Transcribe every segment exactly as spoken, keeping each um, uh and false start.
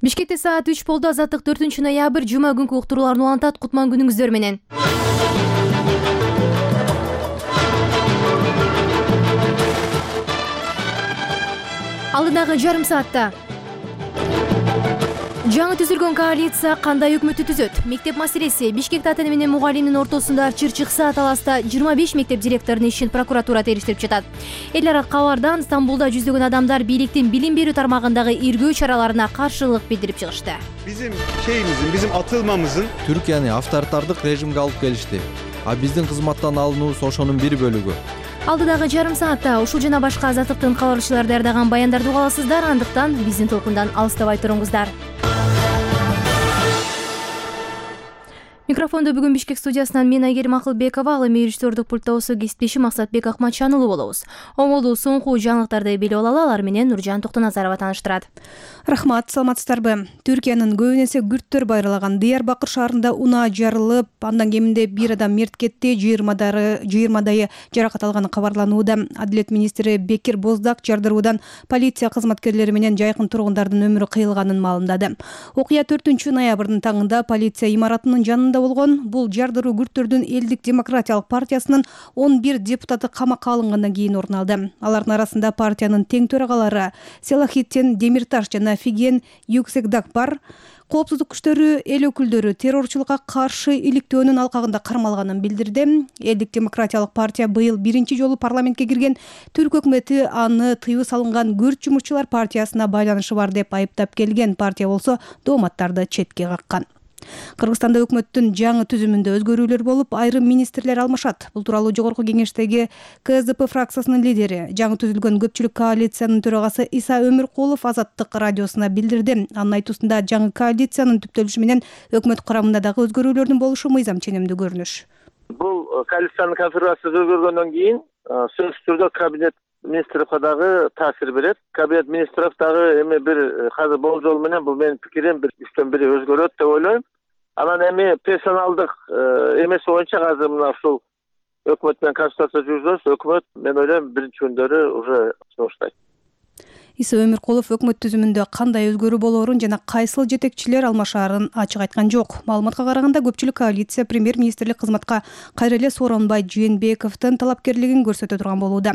Бишкекте саат үч болду. Азаттык төртүнчү ноябрь жума күнкү уктурууларын улантат. Кутман күнүңүздөр менен. Алдындагы жарым саатта жаңы түзүлгөн коалиция кандай өкмөттү түзөт? Мектеп маселеси. Бишкекте ата-эне менен мугалимдин ортосунда чыр-чыкса таласта жыйырма беш мектеп директорунун ишин прокуратура териштирип жатат. Эл арак кабардан Стамбулда жүздөгөн адамдар бийликтин билим берүү тармагындагы иргөө чараларына каршылык билдирип чыгышты. Bizim şeyimizin, bizim atılmamızın Türkiýany авторитардык режимге алып келишти. А биздин кызматтан алынуубуз ошонун бир бөлүгү. Алдыдагы жарым саатта ушул жана башка азаттыктын кабарчылары даярдаган баяндарды уга аласыздар. Андыктан биздин толкундан алыстабай туруңуздар. Микрофондо бүгүн Бишкек студиясынан мен Айгерим Акылбекова, ал эми режиссердук пультта болсо кесиптешим Максатбек Акматчанұлы болобуз. Оңолуу соңку жаңылыктарды билип алалы, алар менен Нуржан Токтоназарова тааныштырат. Рахмат, саламатсыздарбы? Түркиянын көбүн эсе күрттөр байралаган Диярбакыр шаарында унаа жарылып, андан кеминде бир адам мерт кетти, жыйырмадайы жаракат алганы кабарланууда. Адилет министри Бекир Боздак жардыруудан полиция кызматкерлери менен жайкын тургундардын өмүрү кыйылганын маалымдады. Окуя төртүнчү ноябрдын таңында полиция имаратынын жанында болгон. Бул жардыруу күрттөрдүн Элдик демократиялык партиясынын он бир депутаты камакка алынгандан кийин орун алды. Алардын арасында партиянын тең төрагалары Селахитдин Демирташ жана Фиген Юксекдак бар. Коопсуздук күчтөрү эл өкүлдөрү террорчулукка каршы иликтөөнүн алкагында кармалганын билдирди. Элдик демократиялык партия быйыл биринчи жолу парламентке кирген. Түрк өкмөтү аны тыюу салынган күрт жумушчулар партиясына байланышы бар деп айыптап келген. Партия болсо дооматтарды четке каккан. Кыргызстанда өкмөттүн жаңы түзүмүндө өзгөрүүлөр болуп, айрым министрлер алмашат. Бул тууралуу жогорку кеңештеги Ка Эс Ди Пи фракциясынын лидери, жаңы түзүлгөн көпчүлүк коалициянын төрагасы Иса Өмүркулов Азаттык радиосуна билдирди. Анын айтуусунда жаңы коалициянын түптөлүшү менен өкмөт курамында дагы өзгөрүүлөрдүн болушу мыйзам ченемдүү көрүнүш. Бул коалициянын конфигурациясы өзгөргөндөн кийин сөзсүз түрдө кабинет министрликке дагы таасир берет. Кабинет министров дагы эми бир азыр болжол менен бул менин пикирим бир үчтөн бири өзгөрөт деп ойлойм. Анан эми персоналдык эмес боюнча азыр мына ушул өкмөт менен консультация жүргүзөбүз. Өкмөт мен ойлойм биринчи күндөрү уже чыгыштайт. Иса Өмүркулов өкмөт түзүмүндө кандай өзгөрүү болоорун жана кайсыл жетекчилер алмашаарын ачык айткан жок. Маалыматка караганда көпчүлүк коалиция премьер-министрлик кызматка кайра эле Сооронбай Жээнбековдун талапкерлигин көрсөтө турган болууда.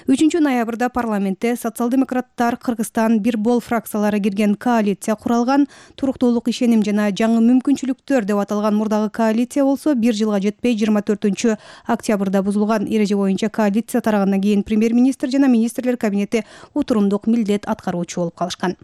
үчүнчү ноябрда парламентте социал-демократтар, Кыргызстан, Бир Бол фракциялары кирген коалиция куралган. Туруктуулук, ишеним жана жаңы мүмкүнчүлүктөр деп аталган мурдагы коалиция болсо бир жылга жетпей жыйырма төртүнчү октябрда бузулган. Эреже боюнча коалиция тарагандан кийин премьер-министр жана министрлер кабинети утурумдук милдет аткаруучу болуп калышкан.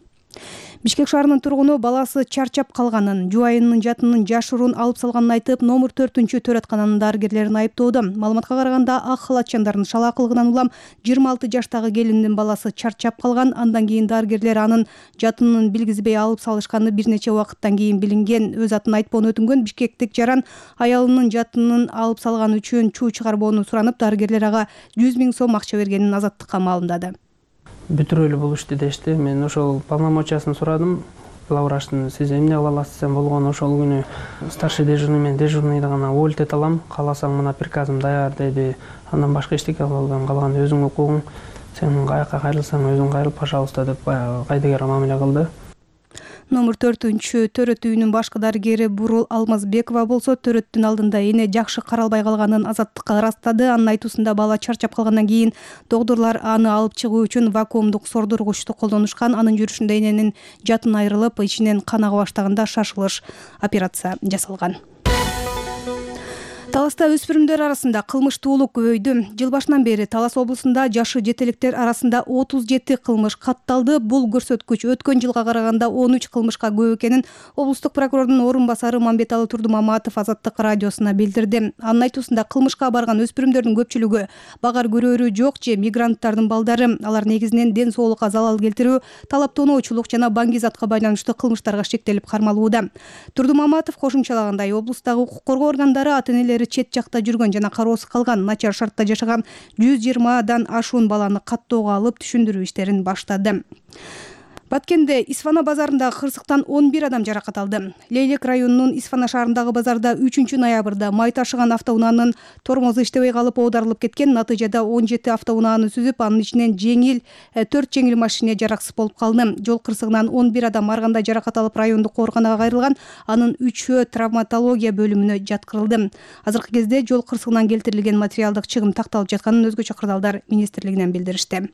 Бишкек шаарынын тургуну баласы чарчап калганын, жубайынын жатынын жашыруун алып салганын айтып, номер төртүнчү төрөткананын дарыгерлерин айыптоодо. Маалыматка караганда ак халатчандардын шалаакылыгынан улам жыйырма алты жаштагы келиндин баласы чарчап калган. Андан кийин дарыгерлер анын жатынын билгизбей алып салышканы бир нече убакыттан кийин билинген. Өз атын айтпоону өтүнгөн бишкектик жаран аялынын жатынын алып салган үчүн чуу чыгарбоону суранып, дарыгерлер ага жүз миң сом акча бергенин Азаттыкка маалымдады. Бүтүрөлүү болушту дешти. Мен ошол полномочиясын сурадым. Главврачтын сиз эмне кыла аласыз болгону ошол күнү старший дежурный мен дежурныйды гана уволить алам. Кааласаң мына приказым даяр деди. Андан башка эчтеке кыла албайм. Калган өзүң укугуң. Сен каяка кайрылсаң өзүң кайрыл, пожалуйста деп кайдыгер мамиле кылды. Номер төртүнчү төрөт үйүнүн башкы дарыгери Бурул Алмазбекова болсо төрөттүн алдында эне жакшы каралбай калганын Азаттыкка ырастады. Анын айтуусунда бала чарчап калгандан кийин доктурлар аны алып чыгуу үчүн вакуумдук сордургучту колдонушкан. Анын жүрүшүндө эненин жатын айрылып, ичинен кан ага баштаганда шашылыш операция жасалган. Таласта өспүрүмдөр арасында кылмыштуулук көбөйдү. Жыл башынан бери Талас облусунда жашы жетеликтер арасында отуз жети кылмыш катталды. Бул көрсөткүч өткөн жылга караганда он үч кылмышка көп экенин облустук прокурордун орун басары Мамбеталы Турдумаматов Азаттык радиосуна билдирди. Анын айтуусунда кылмышка барган өспүрүмдөрдүн көпчүлүгү багар көрөөрү жок же мигранттардын балдары. Алар негизинен ден соолукка залал келтирүү, талап тоноочулук жана баңгизатка байланыштуу кылмыштарга шектелип кармалууда. Турдумаматов кошумчалагандай, облустагы укук коргоо органдары ата-энелери чет жакта жүргөн жана кароосуз калган, начар шартта жашаган жүз жыйырмадан ашуун баланы каттоого алып түшүндүрүү иштерин баштады. Баткенде Исфана базарындагы кырсыктан он бир адам жаракат алды. Лейлек районунун Исфана шаарындагы базарда үчүнчү ноябрда май ташыган автоунаанын тормозу иштебей калып оодарылып кеткен. Натыйжада он жети автоунааны сүзүп, анын ичинен жеңил төрт жеңил машине жараксыз болуп калды. Жол кырсыгынан он бир адам арганда жаракат алып райондук ооруканага кайрылган. Анын үчөө травматология бөлүмүнө жаткырылды. Азыркы кезде жол кырсыгынан келтирилген материалдык чыгым такталып жатканын өзгөчө кырдаалдар министрлигинен билдиришти.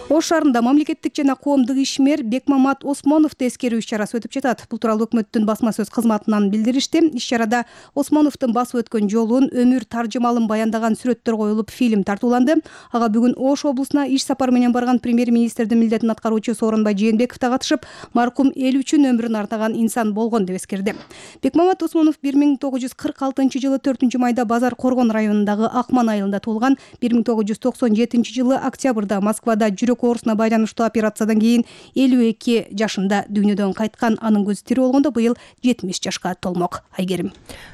Ош шаарында мамлекеттик жана коомдук ишмер Бекмамат Осмоновду эскерүү иш-чарасы өтүп жатат. Бул тууралуу өкмөттүн басма сөз кызматынан билдиришти. Иш-чарада Осмоновдун басып өткөн жолун, өмүр таржымалын баяндаган сүрөттөр коюлуп, фильм тартууланды. Ага бүгүн Ош облусуна иш сапары менен барган премьер-министрдин милдетин аткаруучу Сооронбай Жээнбеков да катышып, маркум эл үчүн өмүрүн артаган инсан болгон деп эскерди. Бекмамат Осмонов бир миң тогуз жүз кырк алтынчы жылы төртүнчү майда Базар Коргон районундагы Акман айылында туулган. бир миң тогуз жүз токсон жетинчи жылы октябрда Москвада жүрөк оорусуна байланыштуу операциядан кийин элүү эки жашында дүйнөдөн кайткан. Анын көзү тирүү болгондо быйыл жетимиш жашка толмок. Айгерим.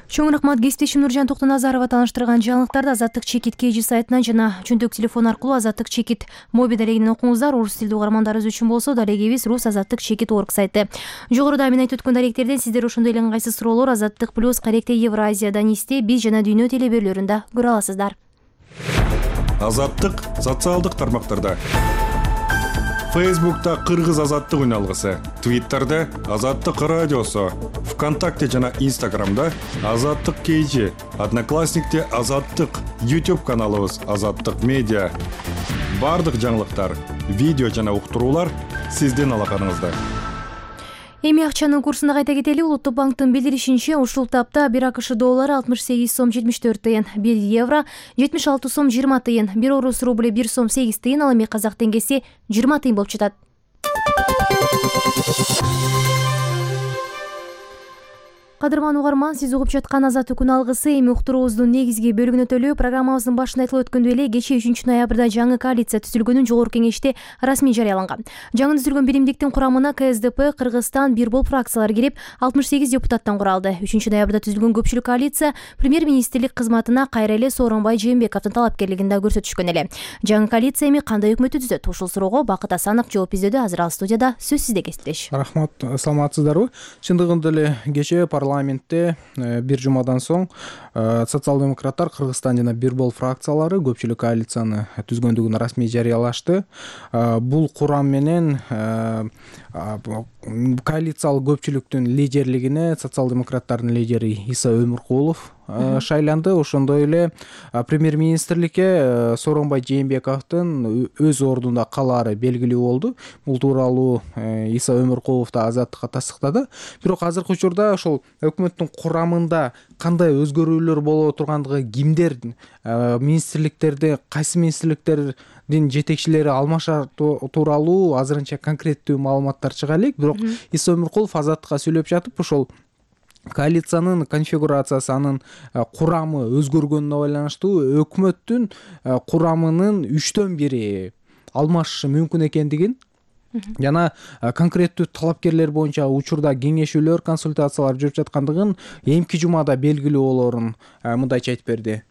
Чоң рахмат. Кесиптешим Нуржан Токтоназарова тааныштырган жаңылыктарды Азаттык чекит кей жи сайтынан жана чөнтөк телефон аркылуу Азаттык чекит мобиль дарегинен окуңуздар. Орус тилдүү угармандарыбыз үчүн болсо дарегибиз рус азаттык чекит точка орг сайты. Жогоруда мен айтып өткөн даректерден сиздер ошондой эле ыңгайсыз суроолор Азаттык плюс Каректе Евразия, Данисте, Биз жана Дүйнө телебөрлөрүндө көрө аласыздар. Азаттык социалдык тармактарда. Фейсбукта Кыргыз азаттык үн алгысы, Твиттерде Азаттык радиосу, ВКонтакте жана Инстаграмда Азаттык кей жи, Одноклассникте Азаттык, YouTube каналыбыз Азаттык медиа. Бардык жаңылыктар, видео жана уктуруулар сиздин алаканыңызда. Эми акчанын курсуна кайта кетели. Улуттук банктын билдиришинче, ушул тапта бир АКШ доллары алтымыш сегиз сом жетимиш төрт тыйын, бир евро жетимиш алты сом жыйырма тыйын, бир орус рубль бир сом сегиз тыйын, ал эми казак теңгеси жыйырма тыйын болуп жатат. Кадырман угарман, сиз угуп жаткан Азаттык күн алгысы эми уктуруубуздун негизги бөлүгүнө төлөө. Программабыздын башында айтылып өткөндөй эле, кечээ үчүнчү ноябрда жаңы коалиция түзүлгөнүн жогорку кеңеште расмий жарыяланган. Жаңы түзүлгөн биримдиктин курамына К С Д П, Кыргызстан, бир бол фракциялар кирип, алтымыш сегиз депутаттан куралды. үчүнчү ноябрда түзүлгөн көпчүлүк коалиция премьер-министрлик кызматына кайра эле Сооронбай Жээнбековдун талапкерлигин да көрсөтүшкөн эле. Жаңы коалиция эми кандай өкмөттү түзөт? Ушул суроого Бакыт Асанов жооп издөөдө. Азыр ал студияда. Сөз сизде, кесиптеш. Рахмат, саламатсыздарбы? Чындыгында эле кечээ парламентте бир жумадан соң социал-демократтар, Кыргызстан жана бир бол фракциялары көпчүлүк коалицияны түзгөндүгүн расмий жарыялашты. Бул курам менен коалициялык көпчүлүктүн лидерлигине социал-демократтардын лидери Иса Өмүркулов шайланды. Ошондой эле премьер-министрликке Сооронбай Жээнбековдун өз ордунда калаары белгилүү болду. Бул тууралуу Иса Өмүркулов да Азаттыкка тастыктады. Бирок азыркы учурда ошол өкмөттүн курамында кандай өзгөрүүлөр боло тургандыгы, кимдер министрликтерде, кайсы министрликтердин жетекчилери алмашар тууралуу азырынча конкреттүү маалыматтар чыга элек. Бирок Иса Өмүркулов Азаттыкка сүйлөп жатып, ошол коалициянын конфигурациясы, анын курамы өзгөргөнүнө байланыштуу өкмөттүн курамынын үчтөн бири алмашышы мүмкүн экендигин жана конкреттүү талапкерлер боюнча учурда кеңешүүлөр, консультациялар жүрүп жаткандыгын эмки жумада белгилүү болоорун мындайча айтып берди.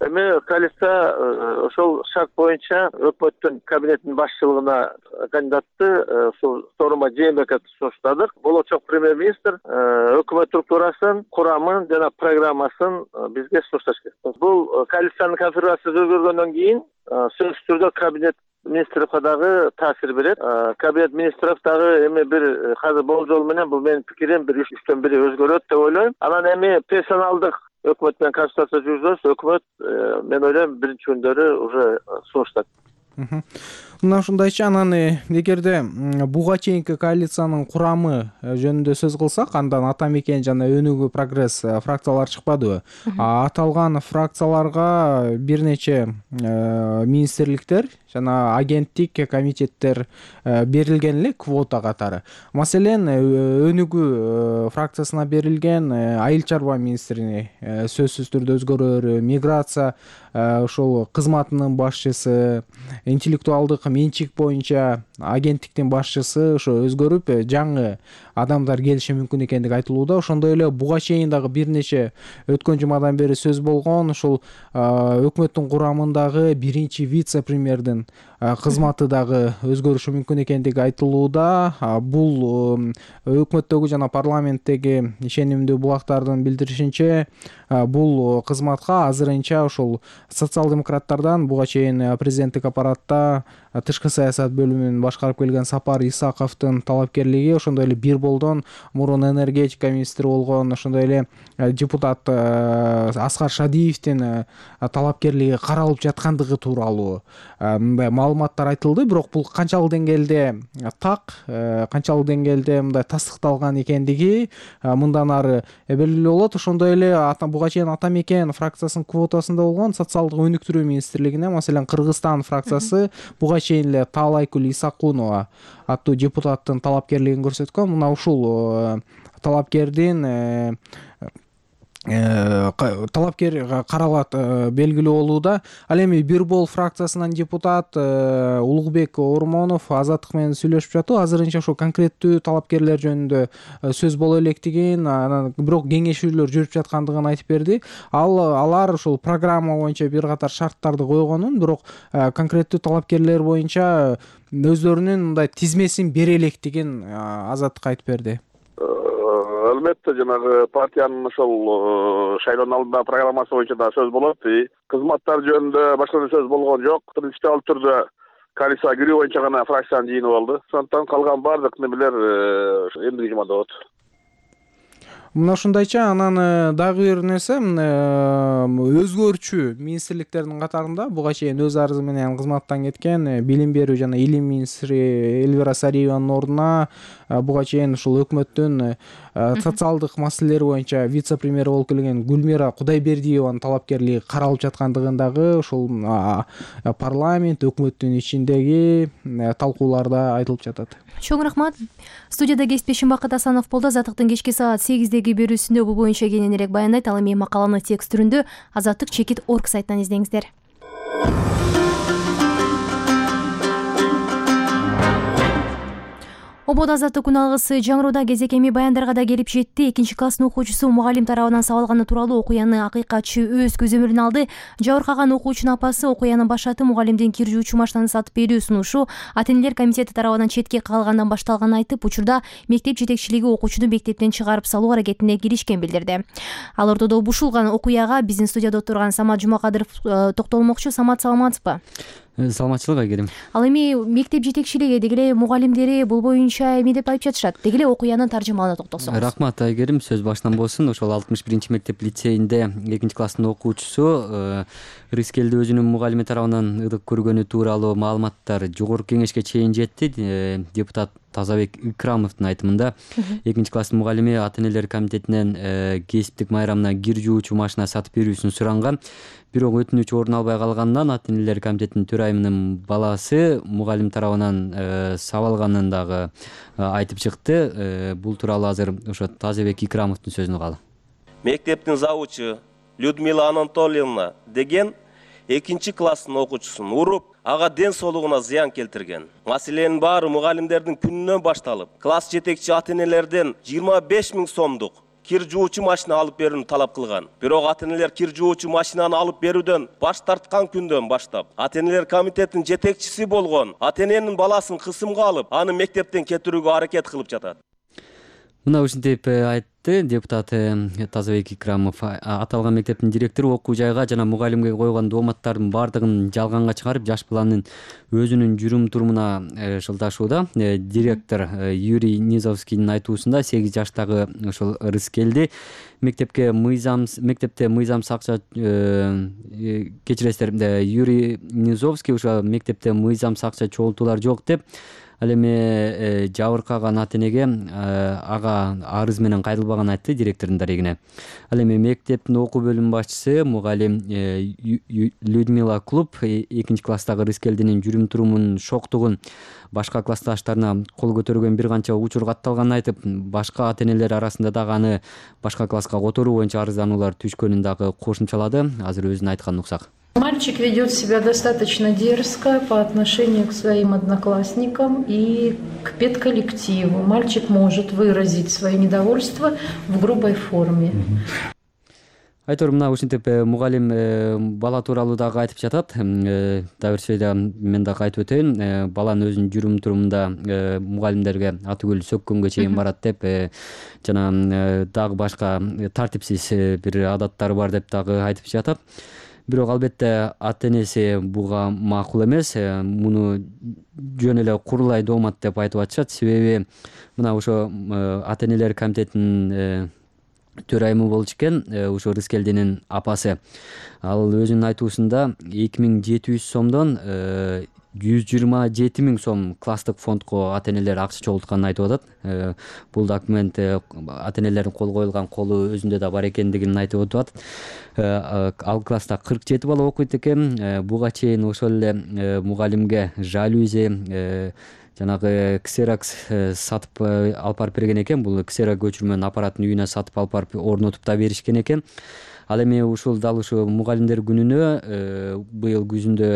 Эми коалиция ошол шарт боюнча өкмөттүн кабинетинин башчылыгына кандидатты Сооронбай Жээнбековду сунуштадык. Болочок премьер-министр өкмөт структурасын, курамын жана программасын бизге сунушташ керек. Бул коалициянын конфигурациясы өзгөргөндөн кийин сөзсүз түрдө кабинет министрликке дагы таасир берет. Кабинет министров дагы эми бир азыр болжол менен, бул менин пикирим, бир үчтөн бири өзгөрөт деп ойлойм. Анан эми персоналдык өкмөт менен консультация жүргүзөбүз. Өкмөт, мен ойлойм, биринчи күндөрү уже сунуштат. Мына ушундайча, анан эгерде буга чейинки коалициянын курамы жөнүндө сөз кылсак, андан Ата Мекен жана Өнүгүү Прогресс фракциялар чыкпадыбы? Аталган фракцияларга бир нече министрликтер жана агенттик комитеттер берилген эле квота катары. Маселен, Өнүгүү фракциясына берилген айыл чарба министрине сөзсүз түрдө өзгөрөөрү, миграция ошол кызматынын башчысы, интеллектуалдык менчик боюнча агенттиктин башчысы ошо өзгөрүп жаңы адамдар келиши мүмкүн экендиги айтылууда. Ошондой эле буга чейин дагы бир нече өткөн жумадан бери сөз болгон ушул өкмөттүн курамындагы биринчи вице-премьердин кызматы дагы өзгөрүшү мүмкүн экендиги айтылууда. Бул өкмөттөгү жана парламенттеги ишенимдүү булактардын билдиришинче бул кызматка азырынча ошол социал-демократтардан буга чейин президенттик аппаратта тышкы саясат бөлүмүн башкарып келген Сапар Исаковдун талапкерлиги, ошондой эле бир болдон мурун энергетика министри болгон ошондой эле депутат Аскар Шадиевдин талапкерлиги каралып жаткандыгы тууралуу мындай маалыматтар айтылды. Бирок бул канчалык деңгээлде так, канчалык деңгээлде мындай тастыкталган экендиги мындан ары белгилүү болот. Ошондой эле буга чейин Ата Мекен фракциясынын квотасында болгон социалдык өнүктүрүү министрлигине, маселен Кыргызстан фракциясы буга чейин эле Таалайкүл Исакунова аттуу депутаттын талапкерлигин көрсөткөн. Мына ушул талапкердин талапкер каралат белгилүү болууда. Ал эми Бир бол фракциясынан депутат Улукбек Ормонов Азаттык менен сүйлөшүп жатуу. Азырынча ошо конкреттүү талапкерлер жөнүндө сөз боло электигин, анан бирок кеңешүүлөр жүрүп жаткандыгын айтып берди. Ал алар ошол программа боюнча бир катар шарттарды койгонун, бирок конкреттүү талапкерлер боюнча өздөрүнүн мындай тизмесин бере электигин Азаттык айтып берди. Албетте жанагы партиянын ошол шайлоонун алдындагы программасы боюнча да сөз болот. Кызматтар жөнүндө башка сөз болгон жок. Принципиалдуу түрдө коалицияга кирүү боюнча гана фракциянын жыйыны болду. Ошондуктан калган баардык немелер эмдиги жумада болот. Мына ушундайча. Анан дагы бир нерсе, өзгөрчү министрликтердин катарында буга чейин өз арызы менен кызматтан кеткен билим берүү жана илим министри Элвира Сариеванын ордуна буга чейин ушул өкмөттүн социалдык маселелер боюнча вице-премьер болуп келген Гүлмира Кудайбердиеванын талапкерлиги каралып жаткандыгын дагы ушул парламент өкмөттүн ичиндеги талкууларда айтылып жатат. Чоң рахмат. Студияда кесиптешим Бакыт Асанов болду. Азаттыктын кечки саат сегиздеги берүүсүндө бул боюнча кененирээк баяндайт. Ал эми макаланы текст түрүндө азаттык чекит точка орг сайтынан издеңиздер. Обод азаттык күн алгысы жаңыроодо кезек эми баяндарга да келип жетти. Экинчи класстын окуучусу мугалим тарабынан сабалганы тууралуу окуяны акыйкатчы өз көзөмөлүнө алды. Жабыркаган окуучунун апасы окуянын башаты мугалимдин кир жуучу машинаны сатып берүү сунушу ата-энелер комитети тарабынан четке калгандан башталганын айтып, учурда мектеп жетекчилиги окуучуну мектептен чыгарып салуу аракетине киришкен билдирди. Ал ортодо бушулган окуяга биздин студияда отурган Самат Жумакадыров токтолмокчу. Самат, саламатсызбы? Саламатчылык Айгерим. Ал эми мектеп жетекчилиги деги эле мугалимдери бул боюнча эми деп айтып жатышат. Деги эле окуянын таржымалына токтолсоңуз. Рахмат Айгерим, сөз башынан болсун. Ошол алтымыш биринчи мектеп лицейинде экинчи класстын окуучусу Рыскелди өзүнүн мугалими тарабынан ыдык көргөнү тууралуу маалыматтар жогорку кеңешке чейин жетти. Депутат Тазабек Икрамовдун айтымында экинчи класстын мугалими ата-энелер комитетинен кесиптик майрамына кир жуучу машина сатып берүүсүн суранган. Бирок өтүнүч орун албай калгандан ата-энелер комитетинин төрайымынын баласы мугалим тарабынан сабалганын дагы айтып чыкты. Бул тууралуу азыр ошо Тазабек Икрамовдун сөзүн угалы. Мектептин завучу Людмила Анатольевна деген экинчи класстын окуучусун уруп, ага ден соолугуна зыян келтирген. Маселенин баары мугалимдердин күнүнөн башталып, класс жетекчи ата-энелерден жыйырма беш миң сомдук кир жуучу машина алып берүүнү талап кылган. Бирок ата-энелер кир жуучу машинаны алып берүүдөн баш тарткан күндөн баштап, ата-энелер комитетинин жетекчиси болгон ата-эненин баласын кысымга алып, аны мектептен кетирүүгө аракет кылып жатат. Мына ушинтип айтты депутат Тазабек Икрамов. Аталган мектептин директору окуу жайга жана мугалимге койгон дооматтардын баардыгын жалганга чыгарып, жаш баланын өзүнүн жүрүм турумуна шылташууда. Директор Юрий Низовскийдин айтуусунда сегиз жаштагы ошол Рыскелди мектепке мыйзам мектепте мыйзамсыз акча кечиресиздер, Юрий Низовский ошо мектепте мыйзамсыз акча чогултуулар жок деп, ал эми жабыркаган ата-энеге ага арыз менен кайрылбаганын айтты директордун дарегине. Ал эми мектептин окуу бөлүмү башчысы мугалим Людмила Клуб экинчи класстагы Рыскелдинин жүрүм турумунун шоктугун башка классташтарына кол көтөргөн бир канча учур катталганын айтып, башка ата-энелер арасында дагы аны башка класска которуу боюнча арыздануулар түшкөнүн дагы кошумчалады. Азыр өзүнүн айтканын уксак. Мальчик ведет себя достаточно дерзко по отношению к своим одноклассникам и к педколлективу. Мальчик может выразить свое недовольство в грубой форме. Айтор, мына ушинтип мугалим бала тууралуу дагы айтып жатат. Дагы бир сөйдө мен дагы айтып өтөйүн. Баланын өзүнүн жүрүм турумунда мугалимдерге атүгүл сөккөнгө чейин барат деп жана дагы башка тартипсиз бир адаттары бар деп дагы айтып жатат. Бирок албетте ата энеси буга макул эмес. Муну жөн эле курулай доомат деп айтып атышат. Себеби мына ошо ата энелер комитетинин төрайымы болчу экен, ошо Рыскелдинин апасы. Ал өзүнүн айтуусунда эки миң жети жүз сомдон жүз жыйырма жети миң сом класстык фондко ата энелер акча чогултканын айтып атат. Бул документ ата энелердин кол коюлган колу өзүндө да бар экендигин айтып атат. Ал класста кырк жети бала окуйт экен. Буга чейин ошол эле мугалимге жалюзи, жанагы ксерокс сатып алып барып берген экен. Бул ксерок көчүрмөнүн аппаратын үйүнө сатып алып барып орнотуп да беришкен экен. Ал эми ушул дал ушу мугалимдер күнүнө быйыл күзүндө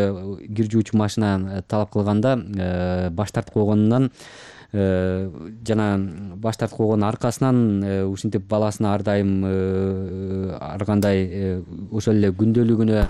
кир жуучу машина талап кылганда баш тартып койгонунан жана баш тартып койгонун аркасынан ушинтип баласына ар дайым ар кандай ошол эле күндөлүгүнө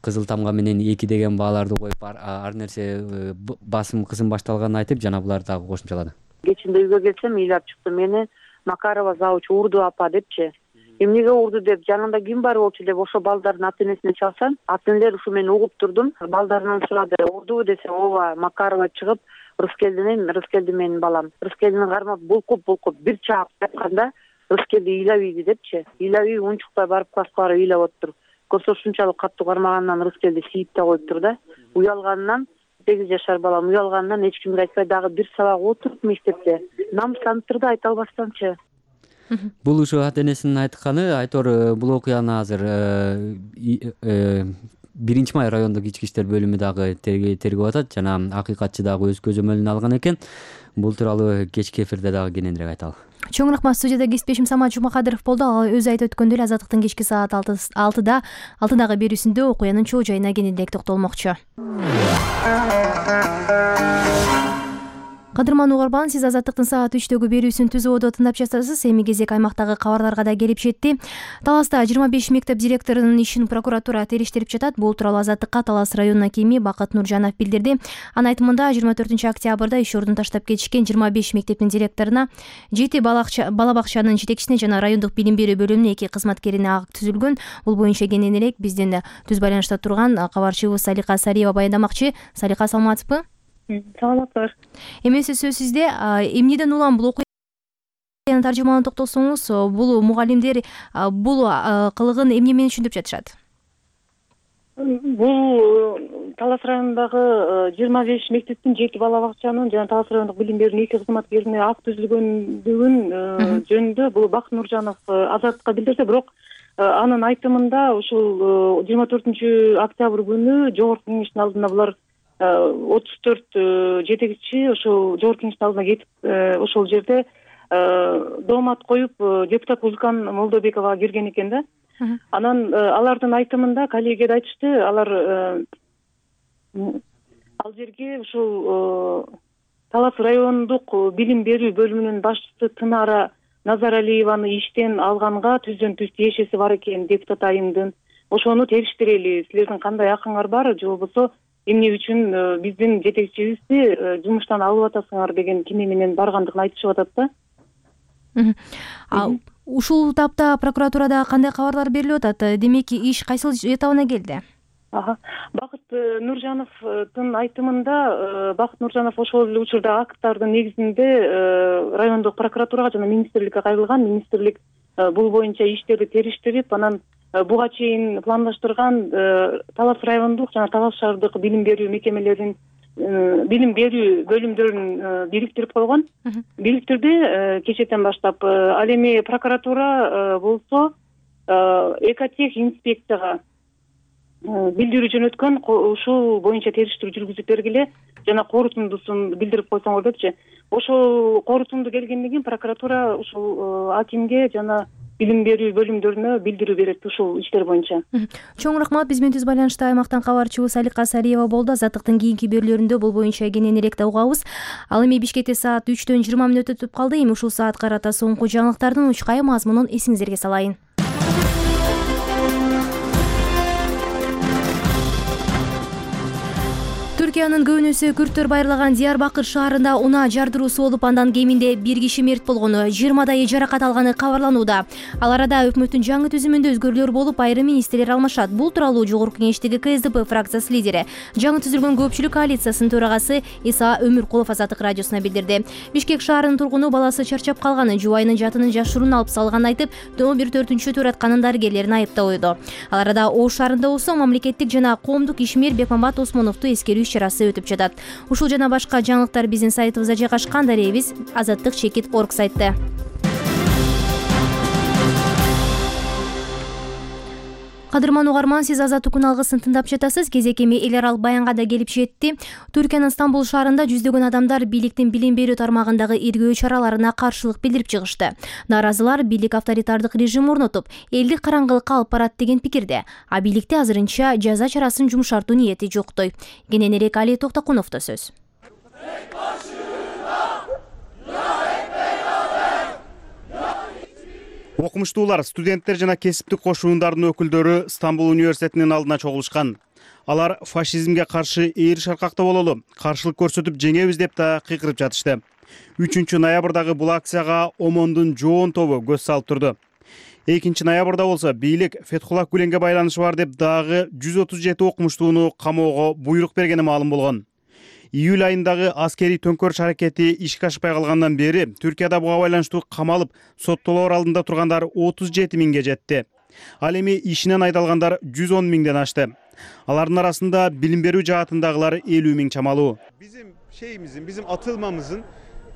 кызыл тамга менен эки деген бааларды коюп ар нерсе басым кысым башталганын айтып, жана булар дагы кошумчалады. Кечинде үйгө келсем ыйлап чыкты, мени Макарова завуч урду апа депчи. Эмнеге урду деп, жанында ким бар болчу деп ошо балдардын ата энесине чалсам, ата энелер ушу мен угуп турдум. Балдарынан сурады, урдубу десе, ооба, Макарова чыгып, Рыскелдин, Рыскелди менин балам. Рыскелдини кармап булкуп булкуп бир чаап жатканда, Рыскелди ыйлап ийди депчи. Ыйлап ийип унчукпай барып класска барып ыйлап отур. Көрсө ушунчалык каттуу кармагандан Рыскелди сийип да коюптур да. Уялганынан сегиз жашар балам уялганынан эч кимге айтпай дагы бир сабак отуруп мектепте намыстанып турду, айта албастанчы. Бул ушу ата энесинин айтканы. Айтор, бул окуяны азыр биринчи май райондук ички иштер бөлүмү дагы тергеп атат жана акыйкатчы дагы өз көзөмөлүнө алган экен. Бул тууралуу кечки эфирде дагы кененирээк айталы. Чоң рахмат. Студияда кесиптешим Самат Жумакадыров болду. Ал өзү айтып өткөндөй эле Азаттыктын кечки саат алтыда алтыдагы берүүсүндө окуянын чоо жайына кененирээк токтолмокчу. Кадырман угарман, сиз Азаттыктын саат үчтөгү берүүсүн түз ободо тыңдап жатасыз. Эми кезек аймактагы кабарларга да келип жетти. Таласта жыйырма беш мектеп директорунун ишин прокуратура териштирип жатат. Бул тууралуу Азаттыкка Талас районунун акими Бакыт Нуржанов билдирди. Анын айтымында жыйырма төртүнчү октябрда иш ордун таштап кетишкен жыйырма беш мектептин директоруна, жети бала бакчанын жетекчисине жана райондук билим берүү бөлүмүнүн эки кызматкерине акт түзүлгөн. Бул боюнча кененирээк биздин түз байланышта турган кабарчыбыз Салика Сариева баяндамакчы. Салика, саламатсызбы? Саламатсыздар. Эмеси сөз сизде. Эмнеден улам бул окуянын таржымалын токтосоңуз, бул мугалимдер бул кылыгын эмне менен түшүндүрүп жатышат? Бул Талас районундагы жыйырма беш мектептин жети бала бакчанын жана Талас райондук билим берүүнүн эки кызматкерине акт түзүлгөндүгүн жөнүндө бул Бакыт Нуржанов Азаттыкка билдирди. Бирок анын айтымында ушул жыйырма төртүнчү октябрь күнү жогорку кеңештин алдында булар отуз төрт жетекчи ошол жогорку кеңештин алдына кетип ошол жерде доомат коюп депутат Гүлкан Молдобековага кирген экен да. Анан алардын айтымында коллегия айтышты, алар ал жерге ушул Талас райондук билим берүү бөлүмүнүн башчысы Тынара Назаралиеваны иштен алганга түздөн түз тиешеси бар экен депутат айымдын. Ошону териштирели, силердин кандай акыңар бар, же болбосо эмне үчүн биздин жетекчибизди жумуштан алып атасыңар деген киме менен баргандыгын айтышып атат да. Ушул тапта прокуратурада кандай кабарлар берилип атат? Демек, иш кайсыл этабына келди? Бакыт Нуржановдун айтымында Бакыт Нуржанов ошол эле учурда акттардын негизинде райондук прокуратурага жана министрликке кайрылган. Министрлик бул боюнча иштерди териштирип, анан буга чейин пландаштырган Талас райондук жана Талас шаардык билим берүү мекемелерин билим берүү бөлүмдөрүн бириктирип койгон. Бириктирди кечетен баштап. Ал эми прокуратура болсо Экотех инспекцияга билдирүү жөнөткөн, ушул боюнча териштирүү жүргүзүп бергиле жана корутундусун билдирип койсоңор депчи. Ошол корутунду келгенден кийин прокуратура ушул акимге жана билим берүү бөлүмдөрүнө билдирүү берет ушул иштер боюнча. Чоң рахмат. Биз менен түз байланышта аймактан кабарчыбыз Алика Сариева болду. Азаттыктын кийинки берүүлөрүндө бул боюнча кененирээк да угабыз. Ал эми Бишкекте саат үчтөн жыйырма мүнөт өтүп калды. Эми ушул саат карата соңку жаңылыктардын учкай мазмунун эсиңиздерге салайын. Түркиянын көбүнөсү күрттөр байырлаган Диярбакыр шаарында унаа жардыруусу болуп, андан кеминде бир киши мерт болгону, жыйырмадайы жаракат алганы кабарланууда. Ал арада өкмөттүн жаңы түзүмүндө өзгөрүүлөр болуп, айрым министрлер алмашат. Бул тууралуу Жогорку Кеңештеги Ка Эс Д П фракциясы лидери, жаңы түзүлгөн көпчүлүк коалициясынын төрагасы Иса Өмүркулов Азаттык радиосуна билдирди. Бишкек шаарынын тургуну баласы чарчап калганын, жубайынын жатынын жашыруун алып салганын айтып, он бир төртүнчү туратканын дарыгерлерин айыптабойду. Ал арада Ош шаарында болсо мамлекеттик жана коомдук ишмер Бекмамбат Осмоновду эскерүү чарасы өтүп жатат. Ушул жана башка жаңылыктар биздин сайтыбызда жайгашкан. Даребиз азаттык чекит точка орг сайтта. Кадырман угарман, сиз Азаттык күн алгысын тыңдап жатасыз. Кезек эми эл аралык баянга да келип жетти. Түркиянын Стамбул шаарында жүздөгөн адамдар бийликтин билим берүү тармагындагы иргөө чараларына каршылык билдирип чыгышты. Нааразылар бийлик авторитардык режим орнотуп, элди караңгылыкка алып барат деген пикирде. А бийликте азырынча жаза чарасын жумшартуу ниети жоктой. Кененирээк Али Токтокуновдо сөз. Окумуштуулар, студенттер жана кесиптик кошуундардын өкүлдөрү Стамбул университетинин алдына чогулушкан. Алар фашизмге каршы ээри шаркакта бололу, каршылык көрсөтүп жеңебиз деп да кыйкырып жатышты. үчүнчү ноябрдагы бул акцияга ОМОНдун жоон тобу көз салып турду. экинчи ноябрда болсо бийлик Фетхуллах Гүленге байланышы бар деп дагы жүз отуз жети окумуштууну камоого буйрук бергени маалым болгон. Июль айындагы аскерий төңкөрүш аракети ишке ашпай калгандан бери Түркияда буга байланыштуу камалып, соттолоор алдында тургандар отуз жети миңге жетти. Ал эми ишинен айдалгандар жүз он миңден ашты. Алардын арасында билим берүү жаатындагылар элүү миң чамалуу. Bizim şeyimizin, bizim atılmamızın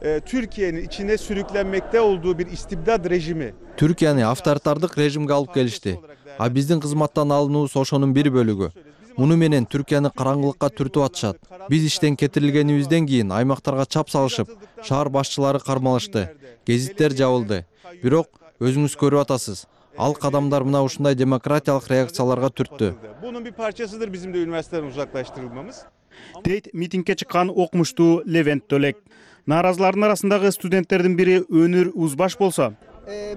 e, Türkiye'nin içine sürüklenmekte olduğu bir istibdad rejimi. Түркияны авторитардык режимге алып келишти. А биздин кызматтан алынуубуз ошонун бир бөлүгү. Муну менен Түркияны караңгылыкка түртүп атышат. Биз иштен кетирилгенибизден кийин аймактарга чап салышып, шаар башчылары кармалышты, гезиттер жабылды. Бирок өзүңүз көрүп атасыз, ал кадамдар мына ушундай демократиялык реакцияларга түрттү. Bunun bir parçasıdır bizim de üniversiteden uzaklaştırılmamız. Дейт митингке чыккан окумуштуу Левент Төлек. Нааразылардын арасындагы студенттердин бири Өнүр Узбаш болсо,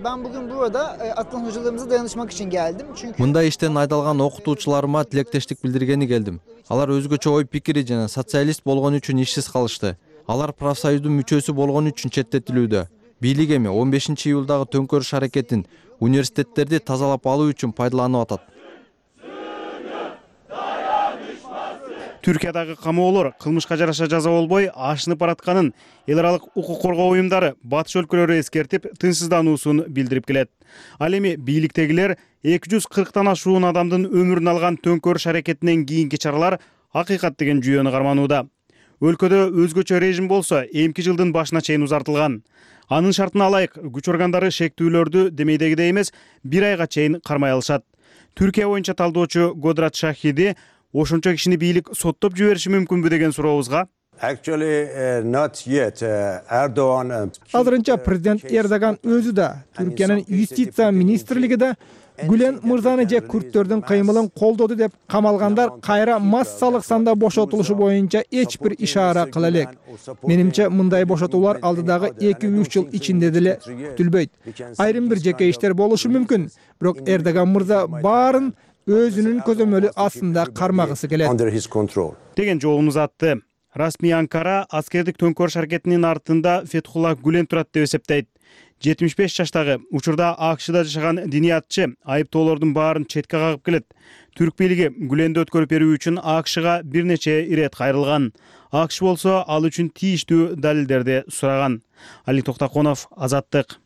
Ben bugün burada atılan hocalarımıza dayanışmak için geldim. Çünkü Мындай иштен айдалган окутуучуларыма тилектештик билдиргени келдим. Алар өзгөчө ой пикири жана социалист болгон үчүн ишсиз калышты. Алар профсоюздун мүчөсү болгон үчүн четтетилүүдө. Бийлик эми он бешинчи июлдагы төңкөрүш аракетин университеттерди тазалап алуу үчүн пайдаланып атат. Түркиядагы камоолор кылмышка жараша жаза болбой ашынып баратканын эл аралык укук коргоо уюмдары батыш өлкөлөрү эскертип, тынчсыздануусун билдирип келет. Ал эми бийликтегилер эки жүз кырктан ашуун адамдын өмүрүн алган төңкөрүш аракетинен кийинки чаралар акыйкат деген жүйөнү карманууда. Өлкөдө өзгөчө режим болсо эмки жылдын башына чейин узартылган. Анын шартына ылайык күч органдары шектүүлөрдү демейдегидей эмес бир айга чейин кармай алышат. Түркия боюнча талдоочу Годрат Шахиди ошончо кишини бийлик соттоп жибериши мүмкүнбү деген сурообузга азырынча президент Эрдоган өзү да, Түркиянын юстиция министрлиги да Гүлен мырзаны же күрттөрдүн кыймылын колдоду деп камалгандар кайра массалык санда бошотулушу боюнча эч бир ишара кыла элек. Менимче мындай бошотуулар алдыдагы эки үч жыл ичинде деле күтүлбөйт. Айрым бир жеке иштер болушу мүмкүн, бирок Эрдоган мырза баарын өзүнүн көзөмөлү астында кармагысы келет деген жообун узатты. Расмий Анкара аскердик төңкөрүш аракетинин артында Фетхуллах Гүлен турат деп эсептейт. жетимиш беш жаштагы учурда АКШда жашаган диниятчы айыптоолордун баарын четке кагып келет. Түрк бийлиги Гүленди өткөрүп берүү үчүн АКШга бир нече ирет кайрылган. АКШ болсо ал үчүн тийиштүү далилдерди сураган. Али Токтокунов, Азаттык.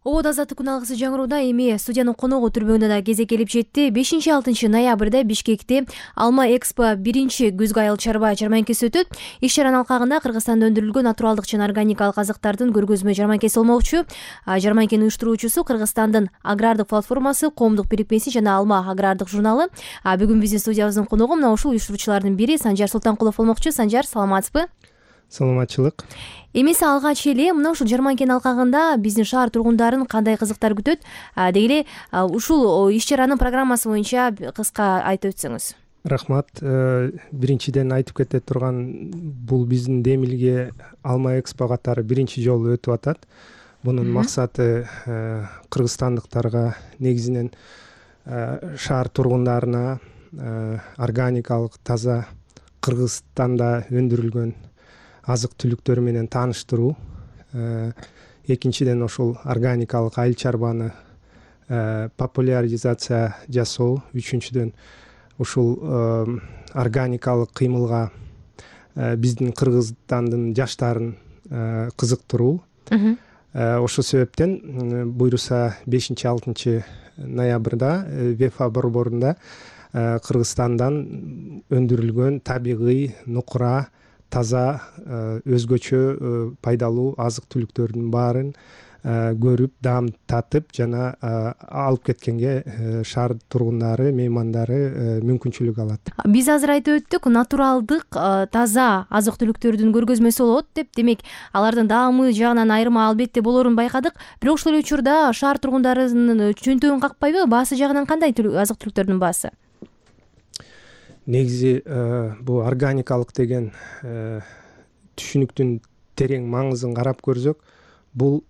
Обод Азаттык күн алгысы жаңырууда эми студиянын коногу түрбөгүндө да кезек келип жетти. бешинчи алтынчы ноябрда Бишкекте Алма Экспо биринчи күзгү айыл чарба жарманкеси өтөт. Иш чаранын алкагында Кыргызстанда өндүрүлгөн натуралдык жана органикалык азыктардын көргөзмө жарманкеси болмокчу. Жарманкенин уюштуруучусу Кыргызстандын агрардык платформасы, коомдук бирикмеси жана Алма агрардык журналы. Бүгүн биздин студиябыздын коногу мына ушул уюштуруучулардын бири Санжар Султанкулов болмокчу. Санжар, саламатсызбы? саламатчылык. Эмесе алгач эле мына ушул жарманкенин алкагында биздин шаар тургундарын кандай кызыктар күтөт? Деги эле ушул иш чаранын программасы боюнча кыска айтып өтсөңүз. Рахмат. Биринчиден айтып кете турган, бул биздин Демилге Алма Экспо катары биринчи жолу өтүп атат. Бунун максаты кыргызстандыктарга, негизинен шаар тургундарына органикалык, таза Кыргызстанда өндүрүлгөн азык түлүктөр менен тааныштыруу. Экинчиден ошол органикалык айыл чарбаны популяризация жасоо. Үчүнчүдөн ушул органикалык кыймылга биздин Кыргызстандын жаштарын кызыктыруу. Ошол себептен буйруса бешинчи алтынчы ноябрда ВЕФА борборунда Кыргызстандан өндүрүлгөн табигый, нукура, таза, өзгөчө пайдалуу азык түлүктөрдүн баарын көрүп, даам татып жана алып кеткенге шаар тургундары, меймандары мүмкүнчүлүк алат. Биз азыр айтып өттүк, натуралдык, таза азык түлүктөрдүн көргөзмөсү болот деп. Демек, алардын даамы жагынан айырма албетте болорун байкадык. Бирок ошол эле учурда шаар тургундарынын чөнтөгүн какпайбы? Баасы жагынан кандай азык түлүктөрдүн баасы? Негизи бул органикалык деген түшүнүктүн терең маңызын карап көрсөк, бул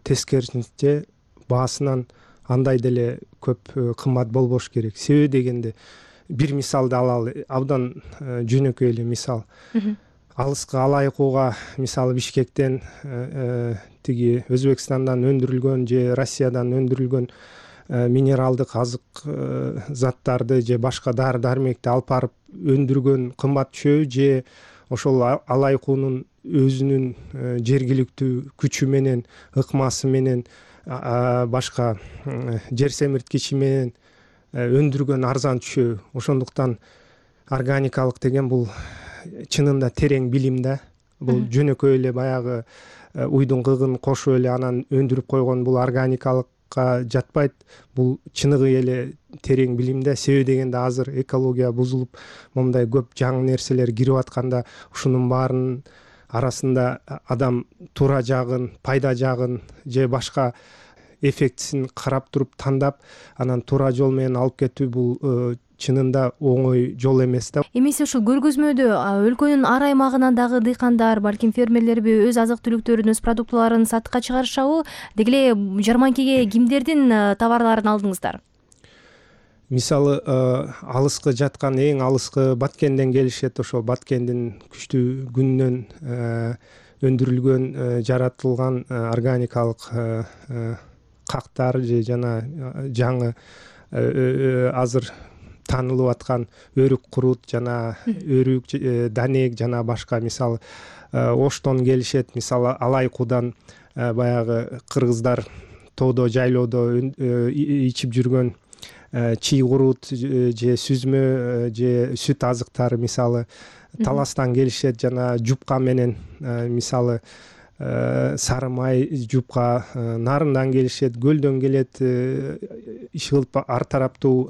тескерисинче баасынан андай деле көп кымбат болбош керек. Себеби дегенде бир мисалды алалы, абдан жөнөкөй эле мисал. Алыскы Алайкууга, мисалы Бишкектен, тиги Өзбекстандан өндүрүлгөн же Россиядан өндүрүлгөн минералдык азык заттарды же башка дары дармекти алып барып өндүргөн кымбат түшөбү, же ошол Алайкуунун өзүнүн жергиликтүү күчү менен, ыкмасы менен, башка жер семирткичи менен өндүргөн арзан түшөбү. Ошондуктан органикалык деген бул чынында терең билим да. Бул жөнөкөй эле баягы уйдун кыгын кошуп эле анан өндүрүп койгон бул органикалыкка жатпайт. Бул чыныгы эле терең билимде. Себеби дегенде азыр экология бузулуп, момундай көп жаңы нерселер кирип атканда, ушунун баарынын арасында адам туура жагын, пайда жагын же башка эффектисин карап туруп тандап, анан туура жол менен алып кетүү бул чынында оңой жол эмес да. Эмесе ушул көргөзмөдө өлкөнүн ар аймагынан дагы дыйкандар, балким фермерлерби өз азык түлүктөрүн, өз продуктыларын сатыкка чыгарышабы? Деги эле жарманкеге кимдердин товарларын алдыңыздар? Мисалы, алыскы жаткан, эң алыскы Баткенден келишет. Ошол Баткендин күчтүү күнүнөн өндүрүлгөн, жаратылган органикалык кактар же жана жаңы азыр таанылып аткан өрүк курут жана өрүк, данек жана башка, мисалы Оштон келишет. Мисалы Алайкуудан баягы кыргыздар тоодо, жайлоодо ичип жүргөн чий курут же сүзмө же сүт азыктары, мисалы Таластан келишет, жана жупка менен, мисалы сары май, жупка, Нарындан келишет, Көлдөн келет, иш кылып ар тараптуу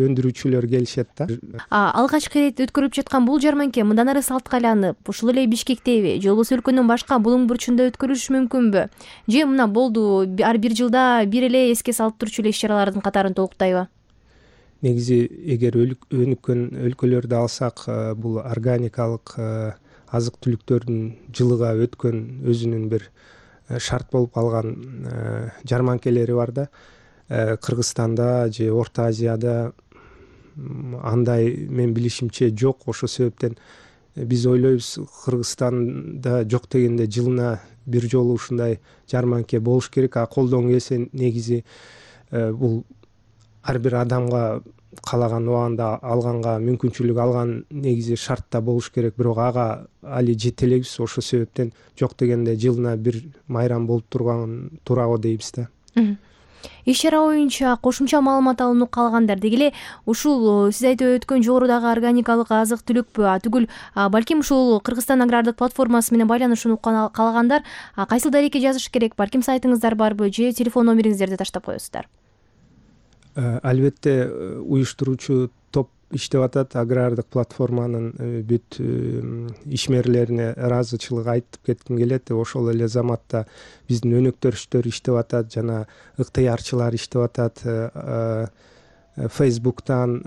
өндүрүүчүлөр келишет да. Алгачкы ирет өткөрүлүп жаткан бул жарманке мындан ары салтка айланып, ушул эле Бишкектеби же болбосо өлкөнүн башка булуң бурчунда өткөрүлүшү мүмкүнбү? Же мына болду, ар бир жылда бир эле эске салып турчу эле иш чаралардын катарын толуктайбы? Негизи эгер өнүккөн өлкөлөрдү алсак, бул органикалык азык түлүктөрдүн жылыга өткөн өзүнүн бир шарт болуп калган жарманкелери бар да. Кыргызстанда же Орто Азияда андай мен билишимче жок. Ошол себептен биз ойлойбуз, Кыргызстанда жок дегенде жылына бир жолу ушундай жарманке болуш керек. А колдон келсе, негизи бул ар бир адамга каалаган убагында алганга мүмкүнчүлүк алган негизи шартта болуш керек. Бирок ага али жете элебиз. Ошол себептен жок дегенде жылына бир майрам болуп турган туура го дейбиз да. Иш чара боюнча кошумча маалымат алынып калгандар. Деги эле ушул сиз айтып өткөн жогорудагы органикалык азык түлүкпү, түгүл балким ушул Кыргызстан агрардык платформасы менен байланышууну каалагандар кайсыл дарекке жазыш керек? Балким сайтыңыздар барбы же телефон номериңиздерди таштап коесуздар? Албетте уюштуруучу топ иштеп атат. Агрардык платформанын бүт ишмерлерине ыраазычылык айтып кетким келет. Ошол эле заматта биздин өнөктөштөр иштеп атат, жана ыктыярчылар иштеп атат. Фейсбуктан,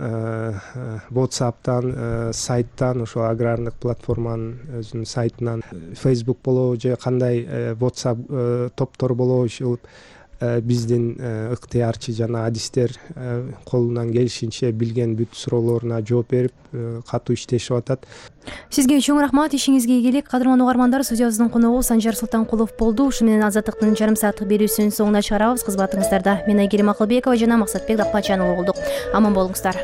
WhatsApp'тан, сайттан, ошо агрардык платформанын өзүнүн сайтынан Facebook болобу же кандай WhatsApp топтор болобу, ушул биздин ыктыярчы жана адистер колунан келишинче билген бүт суроолоруна жооп берип катуу иштешип атат. Сизге чоң рахмат, ишиңизге ийгилик. Кадырман угармандар, студиябыздын коногу Санжар Султанкулов болду. Ушу менен Азаттыктын жарым сааттык берүүсүнүн соңуна чыгарабыз. Кызматыңыздарда мен Айгерим Акылбекова жана Максатбек Дапкачан болдук. Аман болуңуздар.